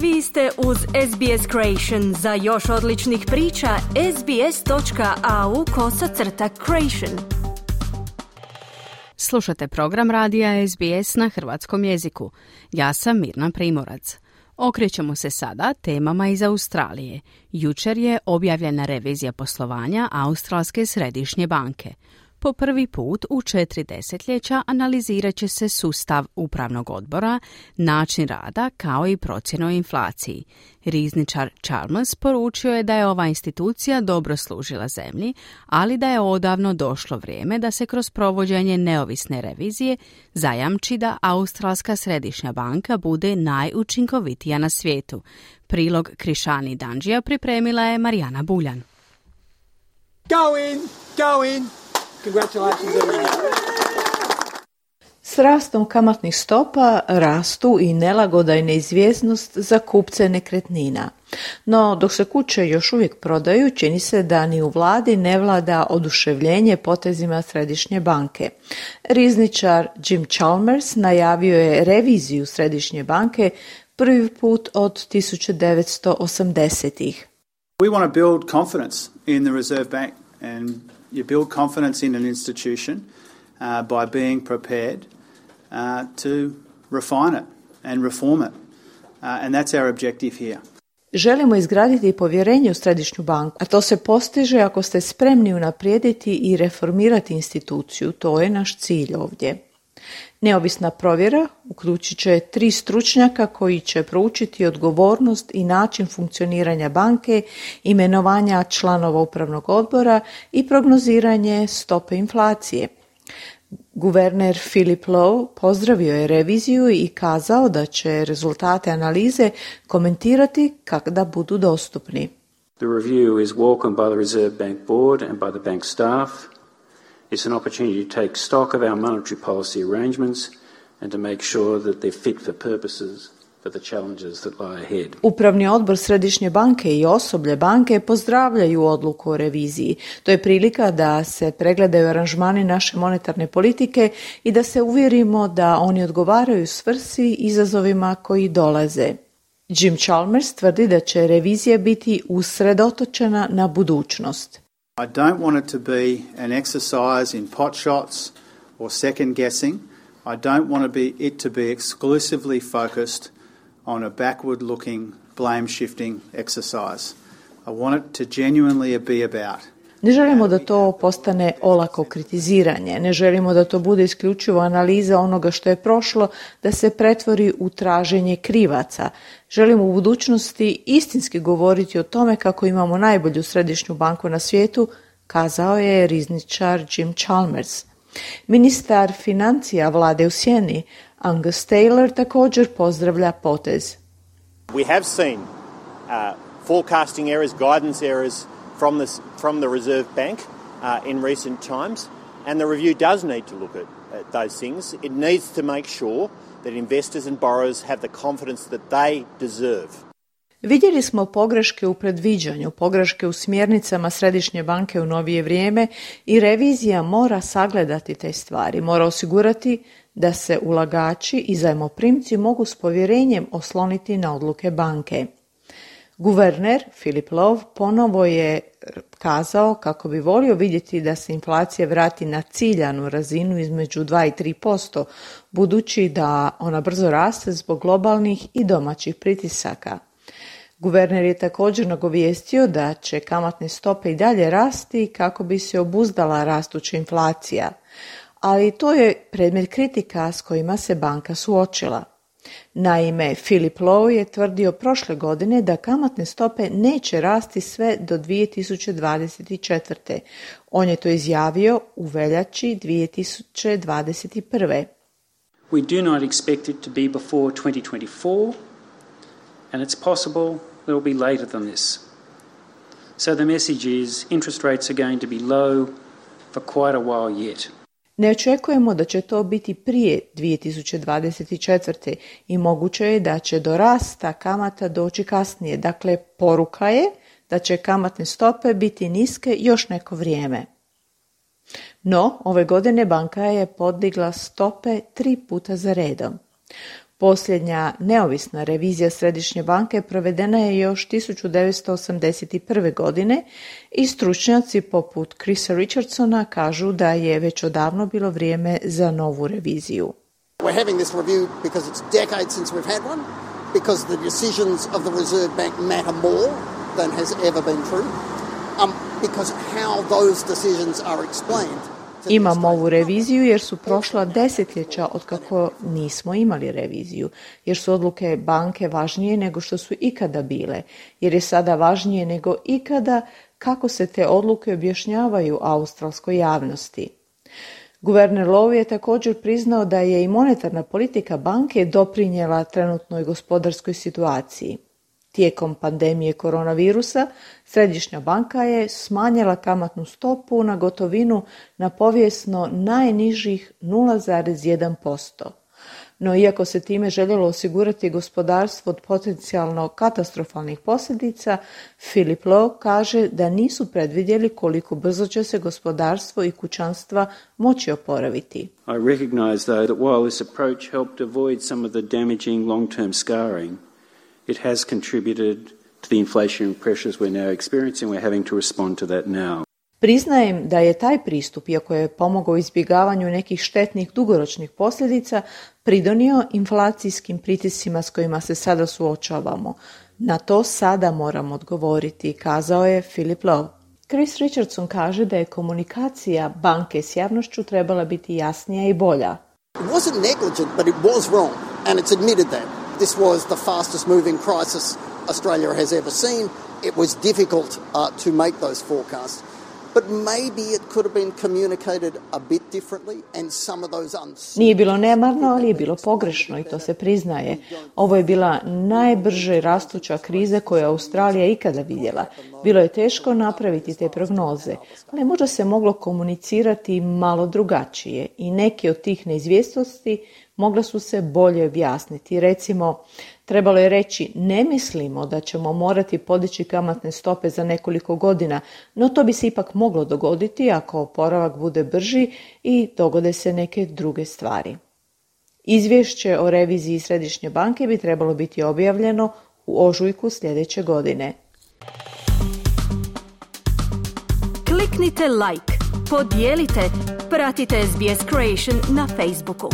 Vi ste uz SBS Creation. Za još odličnih priča, sbs.au/creation. Slušate program radija SBS na hrvatskom jeziku. Ja sam Mirna Primorac. Okrećemo se sada temama iz Australije. Jučer je objavljena revizija poslovanja Australske središnje banke. Po prvi put u 4 desetljeća analizirat će se sustav upravnog odbora, način rada kao i procjena o inflaciji. Rizničar Chalmers poručio je da je ova institucija dobro služila zemlji, ali da je odavno došlo vrijeme da se kroz provođenje neovisne revizije zajamči da Australska središnja banka bude najučinkovitija na svijetu. Prilog Krišani Danđija pripremila je Marijana Buljan. Go in! Congratulations everyone. S rastom kamatnih stopa rastu i nelagoda i neizvjesnost za kupce nekretnina. No, dok se kuće još uvijek prodaju, čini se da ni u vladi ne vlada oduševljenje potezima središnje banke. Rizničar Jim Chalmers najavio je reviziju središnje banke prvi put od 1980-ih. We want to build confidence in the Reserve Bank, and you build confidence in an institution by being prepared to refine it and reform it. And that's our objective here. Želimo izgraditi povjerenje u središnju banku, a to se postiže ako ste spremni unaprijediti i reformirati instituciju. To je naš cilj ovdje. Neovisna provjera uključit će 3 stručnjaka koji će proučiti odgovornost i način funkcioniranja banke, imenovanja članova upravnog odbora i prognoziranje stope inflacije. Guverner Philip Lowe pozdravio je reviziju i kazao da će rezultate analize komentirati kada budu dostupni. The review is welcomed by the Reserve Bank Board and by the bank staff. It's an opportunity to take stock of our monetary policy arrangements and to make sure that they're fit for purposes for the challenges that lie ahead. Upravni odbor Središnje banke i osoblje banke pozdravljaju odluku o reviziji. To je prilika da se pregledaju aranžmani naše monetarne politike i da se uvjerimo da oni odgovaraju svrsi izazovima koji dolaze. Jim Chalmers tvrdi da će revizija biti usredotočena na budućnost. I don't want it to be an exercise in pot shots or second guessing. I don't want it to be exclusively focused on a backward-looking, blame-shifting exercise. I want it to genuinely be about. Ne želimo da to postane olako kritiziranje, ne želimo da to bude isključivo analiza onoga što je prošlo, da se pretvori u traženje krivaca. Želimo u budućnosti istinski govoriti o tome kako imamo najbolju središnju banku na svijetu, kazao je rizničar Jim Chalmers. Ministar financija vlade u sjeni, Angus Taylor, također pozdravlja potez. We have seen forecasting errors, guidance errors from the Reserve Bank in recent times, and the review does need to look at those things. It needs to make sure that investors and borrowers have the confidence that they deserve. Vidjeli smo pogreške u predviđanju, pogreške u smjernicama Središnje banke u novije vrijeme i revizija mora sagledati te stvari, mora osigurati da se ulagači i zajmoprimci mogu s povjerenjem osloniti na odluke banke. Guverner Philip Lowe ponovo je kazao kako bi volio vidjeti da se inflacija vrati na ciljanu razinu između 2 i 3%, budući da ona brzo raste zbog globalnih i domaćih pritisaka. Guverner je također nagovijestio da će kamatne stope i dalje rasti kako bi se obuzdala rastuća inflacija, ali to je predmet kritika s kojima se banka suočila. Naime, Philip Lowe je tvrdio prošle godine da kamatne stope neće rasti sve do 2024. On je to izjavio u veljači 2021. We do not expect it to be before 2024, and it's possible that it will be later than this. So the message is interest rates are going to be low for quite a while yet. Ne očekujemo da će to biti prije 2024. i moguće je da će do rasta kamata doći kasnije. Dakle, poruka je da će kamatne stope biti niske još neko vrijeme. No, ove godine banka je podigla stope 3 puta za redom. Posljednja neovisna revizija Središnje banke provedena je još 1981. godine i stručnjaci poput Chrisa Richardsona kažu da je već odavno bilo vrijeme za novu reviziju. We're having this review because it's decades since we've had one, because the decisions of the Reserve Bank matter more than has ever been true, because how those decisions are explained. Imamo ovu reviziju jer su prošla desetljeća od kako nismo imali reviziju, jer su odluke banke važnije nego što su ikada bile, jer je sada važnije nego ikada kako se te odluke objašnjavaju australskoj javnosti. Guverner Lowe je također priznao da je i monetarna politika banke doprinijela trenutnoj gospodarskoj situaciji. Tijekom pandemije koronavirusa, Središnja banka je smanjila kamatnu stopu na gotovinu na povijesno najnižih 0,1%. No iako se time željelo osigurati gospodarstvo od potencijalno katastrofalnih posljedica, Philip Lowe kaže da nisu predvidjeli koliko brzo će se gospodarstvo i kućanstva moći oporaviti. I recognize though that while this approach helped avoid some of the damaging long-term scarring, it has contributed to the inflationary pressures we're now experiencing. We're having to respond to that now. Priznajem da je taj pristup, iako je pomogao izbjegavanju nekih štetnih dugoročnih posljedica, pridonio inflacijskim pritiscima s kojima se sada suočavamo. Na to sada moramo odgovoriti, kazao je Philip Lowe. Chris Richardson kaže da je komunikacija banke s javnošću trebala biti jasnija i bolja. It wasn't negligent, but it was wrong, and it's admitted that. This was the fastest moving crisis Australia has ever seen. It was difficult to make those forecasts. But maybe it could have been communicated a bit differently and some of those Nije bilo nemarno, ali je bilo pogrešno i to se priznaje. Ovo je bila najbrže rastuća kriza koju je Australija ikada vidjela. Bilo je teško napraviti te prognoze, ali možda se moglo komunicirati malo drugačije i neke od tih neizvjesnosti mogla su se bolje objasniti. Recimo, trebalo je reći ne mislimo da ćemo morati podići kamatne stope za nekoliko godina, no to bi se ipak moglo dogoditi ako oporavak bude brži i dogode se neke druge stvari. Izvješće o reviziji Središnje banke bi trebalo biti objavljeno u ožujku sljedeće godine. Kliknite like, podijelite, pratite SBS Creation na Facebooku.